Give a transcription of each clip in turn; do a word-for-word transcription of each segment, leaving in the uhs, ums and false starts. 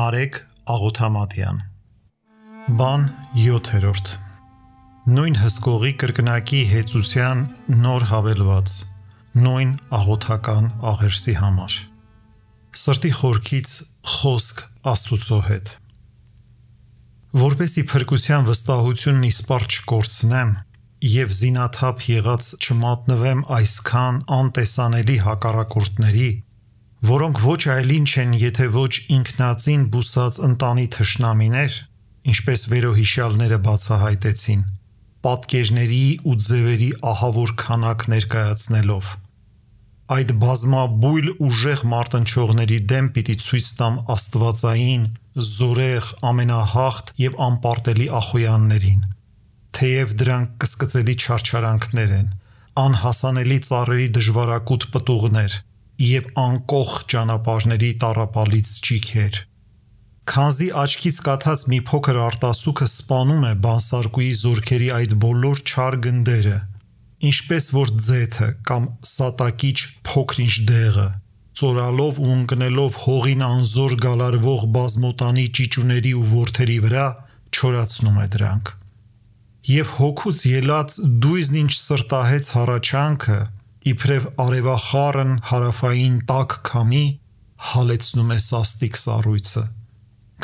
Նարեկ Աղոթամատյան Բան յոթերորդ Նույն հսկողի կրկնակի հեծության նոր հավելված Նույն աղոթական աղերսի համար Սրտի խորքից խոսք Աստուծո հետ Որպեսի փրկության վստահությունն իսպառ չկորցնեմ և զինաթափ եղած չմատնվեմ այսքան անտեսանելի հակառակորդների որոնք ոչ այլ ինչ են, եթե ոչ ինքնածին բուսած ընտանի թշնամիներ, ինչպես վերոհիշյալները բացահայտեցին, պատկերների ու ձևերի ահավոր քանակ ներկայացնելով։ Այդ բազմաբույլ ուժեղ մարտնչողների դեմ պիտի ցույց տամ աստվածային, զորեղ, ամենահաղթ և անպարտելի ախոյաններին, թեև դրանք կսկծելի չարչարանքներ են, անհասանելի ծառերի դժվարակուտ պտուղներ և անկոխ ճանապարհների տառապալից ճիգեր։ Քանզի աչքից կաթած մի փոքր արտասուքը սպանում է բանսարկուի զորքերի այդ բոլոր չար գնդերը, ինչպես որ ձեթը կամ սատակիչ փոքր-ինչ դեղը, ծորալով ու ընկնելով հողին անզոր գալարվող բազմոտանի ճիճուների ու որդերի վրա, չորացնում է դրանք։ Եվ հոգուց ելած դույզն ինչ սրտահեց հառաչանքը, իբրև արևախառն հարավային տաք քամի, հալեցնում է սաստիկ սառույցը,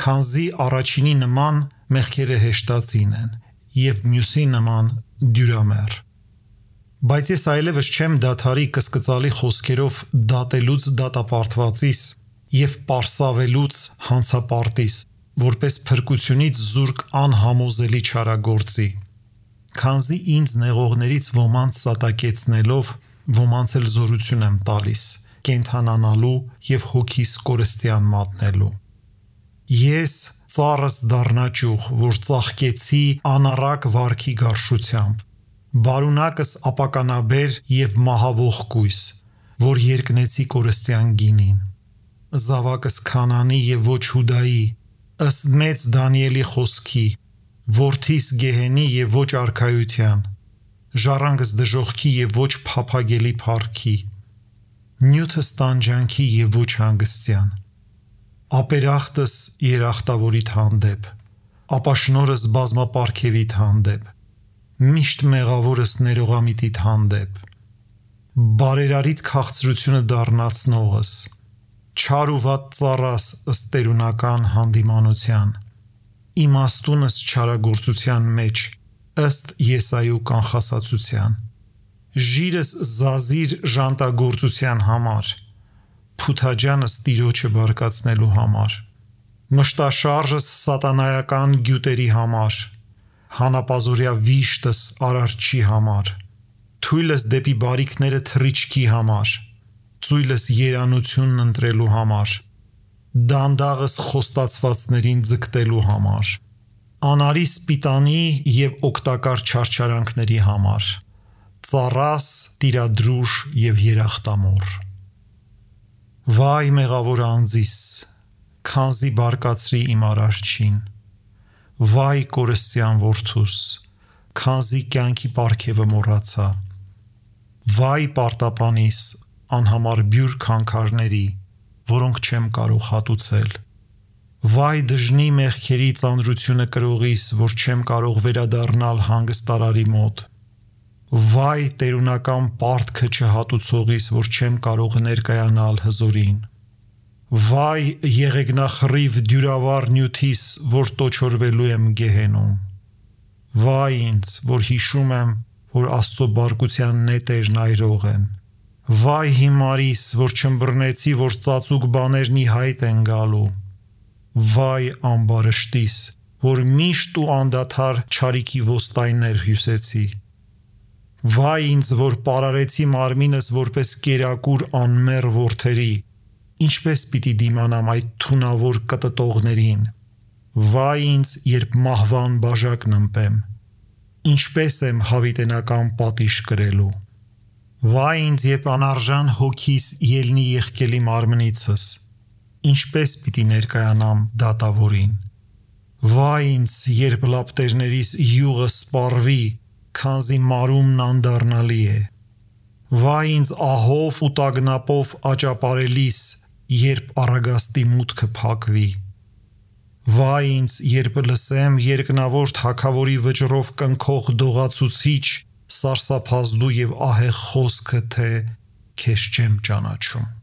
քանզի առաջինի նման մեղքերը հեշտածին են և մյուսի նման դյուրամեռ։ Բայց ես այլևս չեմ դադարի կսկծալի խոսքերով դատելուց դատապարտվածիս և պարսավելուց հանցապարտիս, որպես փրկությունից զուրկ անհամոզելի չարագործի, քանզի ինձ նեղողներից ոմանց սատակեցնելով, ոմանց էլ զորություն եմ տալիս, կենդանանալու և հոգիս կորստյան մատնելու։ Ես ծառս դառնա ճյուղ, որ ծաղկեցի անառակ վարքի գարշությամբ, բարունակս ապականաբեր և մահավող կույս, որ երկնեցի կորստյան գինին, զավակս Քանանի և ոչ Հուդայի, ըստ մեծ Դանիելի խոսքի, որդիս Գեհենի և ոչ արքայության, ժառանգս դժոխքի և ոչ փափագելի փառքի, նյութս տանջանքի և ոչ հանգստյան, ապերախտս երախտավորիդ հանդեպ, ապաշնորս բազմապարգևիդ հանդեպ, միշտ մեղավորս ներողամիտիդ հանդեպ, բարերարիդ քաղցրությունը դառնացնողս, չար ու վատ ծառաս ըստ տերունական հանդիմանության, իմաստունս չարագործության մեջ, ըստ Եսայու կանխասացության, ժիրս զազիր ժանտագործության համար, փութաջանս Տիրոջը բարկացնելու համար, մշտաշարժս սատանայական գյուտերի համար, հանապազորյա վիշտս արարչի համար, թույլս դեպի բարիքները թռիչքի համար, ծույլս երանությունն ընտրելու համար, դանդաղս խոստացվածներին ձգտելու համար, անարի սպիտանի և օգտակար չարչարանքների համար, ծառաս, տիրադրուժ և երախտամոռ։ Վայ մեղավոր անձիս, քանզի բարկացրի իմ արարչին, վայ կորստյան որդուս, քանզի կյանքի պարգևը մոռացա, վայ պարտապանիս, անհամար բյուր քանքարների, որոնք չեմ կարող հատուցել, վայ դժնի մեղքերի ծանրությունը կրողիս, որ չեմ կարող վերադառնալ հանգստարարի մոտ, վայ տերունական պարտքը չհատուցողիս, որ չեմ կարող ներկայանալ հզորին, վայ եղեգնախռիվ դյուրավառ նյութիս, որ տոչորվելու եմ գեհենում, վայ ինձ, որ հիշում եմ, որ Աստծո բարկության նետերն այրող են, վայ հիմարիս, որ չըմբռնեցի, որ ծածուկ բաներն ի հայտ են գալու, վայ ամբարշտիս, որ միշտ ու անդադար չարիքի ոստայներ հյուսեցի, վայ ինձ, որ պարարեցի մարմինս որպես կերակուր անմեռ որդերի, ինչպես պիտի դիմանամ այդ թունավոր կտտողներին, վայ ինձ, երբ մահվան բաժակն ըմպեմ, ինչպես եմ հավիտենական պատիժ կրելու, վայ ինձ, երբ անարժան հոգիս ելնի եղկելի մարմնիցս, ինչպես պիտի ներկայանամ դատավորին, վայ ինձ, երբ լապտերներիս յուղը սպառվի, քանզի մարումն անդառնալի է, վայ ինձ ահով ու տագնապով աճապարելիս, երբ առագաստի մուտքը փակվի, Վայ ինձ, երբ լսեմ երկնավոր թագավորի վճռով կնքող դողացուցիչ, սարսափազդու եւ ահեղ խոսքը, թե քեզ չեմ ճանաչում։